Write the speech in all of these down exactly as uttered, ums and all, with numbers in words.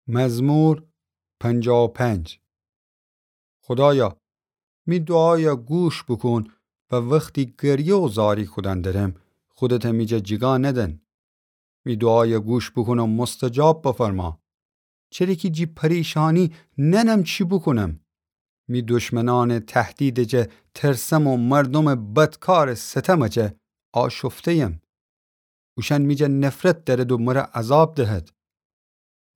مزمور پنجاه و پنج. خودایا، می دوعایا گوش بوکون و وختی گریه و زاری کودن درم، خودته می جا جیگا ندن. می دوعایا گوش بوکون و مستجاب بفرما. چره کی جی پریشانی ننم چی بوکونم. می دشمنانٚ تهدیدٚ جا ترسم و مردومٚ بدکارٚ ستمٚ جا آشفته‌یم. اوشأن می جا نفرت دأرد و مر عذاب دهد.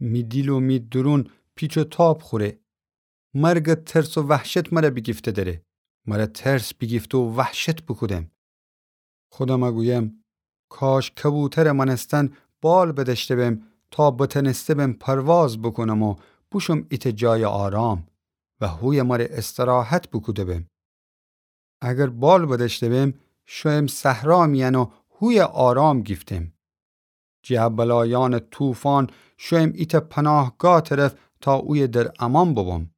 می دیل و می دورون پیچ و تاب خوره. مرگٚ ترس و وحشت مر بیگیفته دره. مر ترس بیگیفته و وحشت بوکودم. خودم گویم، کاش کبوترٚ مأنستن بال بدأشته بم تا بتأنسته بم پرواز بوکونم و بوشوم ایتأ جایٚ آرام و هویه مر استراحت بوکوده بم. اگر بال بدأشته بم، شویم صحرا میأن و هویه آرام گیفتم. جه بلایأنٚ طوفان شویم ایتأ پناهگاه طرف تا اویه در امان ببم.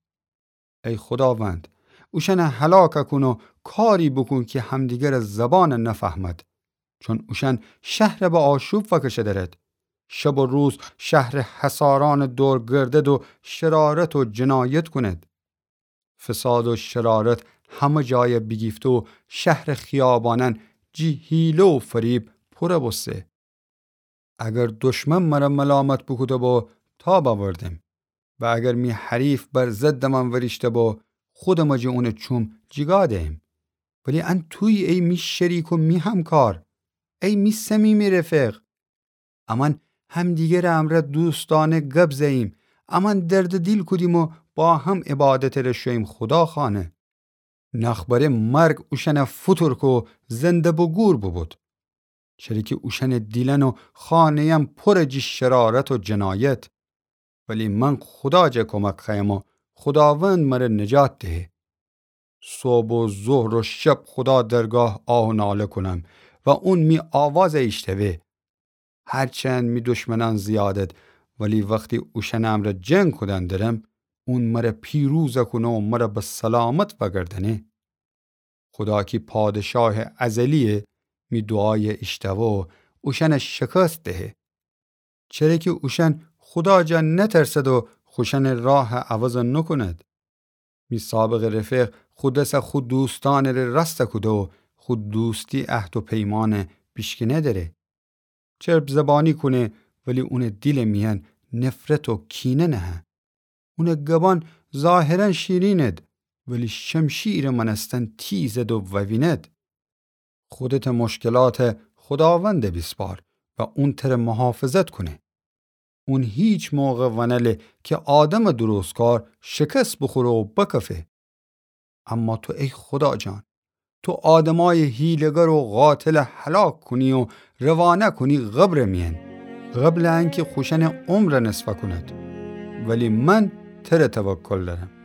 ای خوداوند، اوشأن هلاک کون و کاری بوکون کی همدیگرٚ زبان نفهمد، چون اوشأن شهر به آشوب فکشه درد. شب و روز شهرٚ حصارأن دور گردد و شرارت و جنایت کند. فساد و شرارت همه جای بیگیفته و شهرٚ خیابانأن جی حیله و فریب پور بوسته. اگر دشمن مر ملامت بوکوده بو، تاب اوردم و اگر می حریف بر ضدٚ من وریشته بو، خودم جه اونٚ چوم جیگا دیم. ولی ان تویی ای می شریک و می همکار، ای می صمیمی رفیق. امأن همدیگرٚ امرأ دوستأنه گب زه‌ییم، امأن دردٚ دیل کودیم و با هم عبادتٚ ره شوییم خودا خانه. نخبره مرگ اوشأنه فوتورکو زنده بوگور بوبود. چره کی اوشأنٚ دیلأن و خانه‌یأن پورٚ جی شرارت و جنایت. ولی من خودا جا کمک خوأیم و خوداوند مر نجات دهه. صبح و ظهر و شب خودا درگاه آه و ناله کونم و اون می آواز ایشتوه. هرچند می دشمنأن زیادد، ولی وختی اوشأنٚ امرأ جنگ کودن درم، اون مر پیروز کونه و مر به سلامت وگردأنه. خودا کی پادشاه ازلیه، می دوعای ایشتوه و اوشأن شکست دهه. چره کی اوشأن خودا جا نترسد و خوشأنٚ راه عوض نوکوند. می سابقٚ رفیق خو دس خو دوستأنٚ ره راست کوده و خو دوستی عهد و پیمأن بیشکینه دره. چرب زبانی کونه، ولی اونٚ دیلٚ میأن نفرت و کینه نهه. اونٚ گبأن ظاهراً شیرینید، ولی شمشیرٚ مأنستن تیزید و ووینید. خودتٚ مشکلات خوداوند بیسپار و اون تر محافظت کونه. اون هیچ موقع ونله کی آدمٚ درستکار شکست بخوره و بکفه. اما تو ای خودا جان، تو آدمای حیله‌گر و قاتل هلاک کونی و روانه کونی قبرٚ میأن، قبلٚ انکی خوشأنٚ عمر نصفه کونید. ولی من تر توکل دأرم.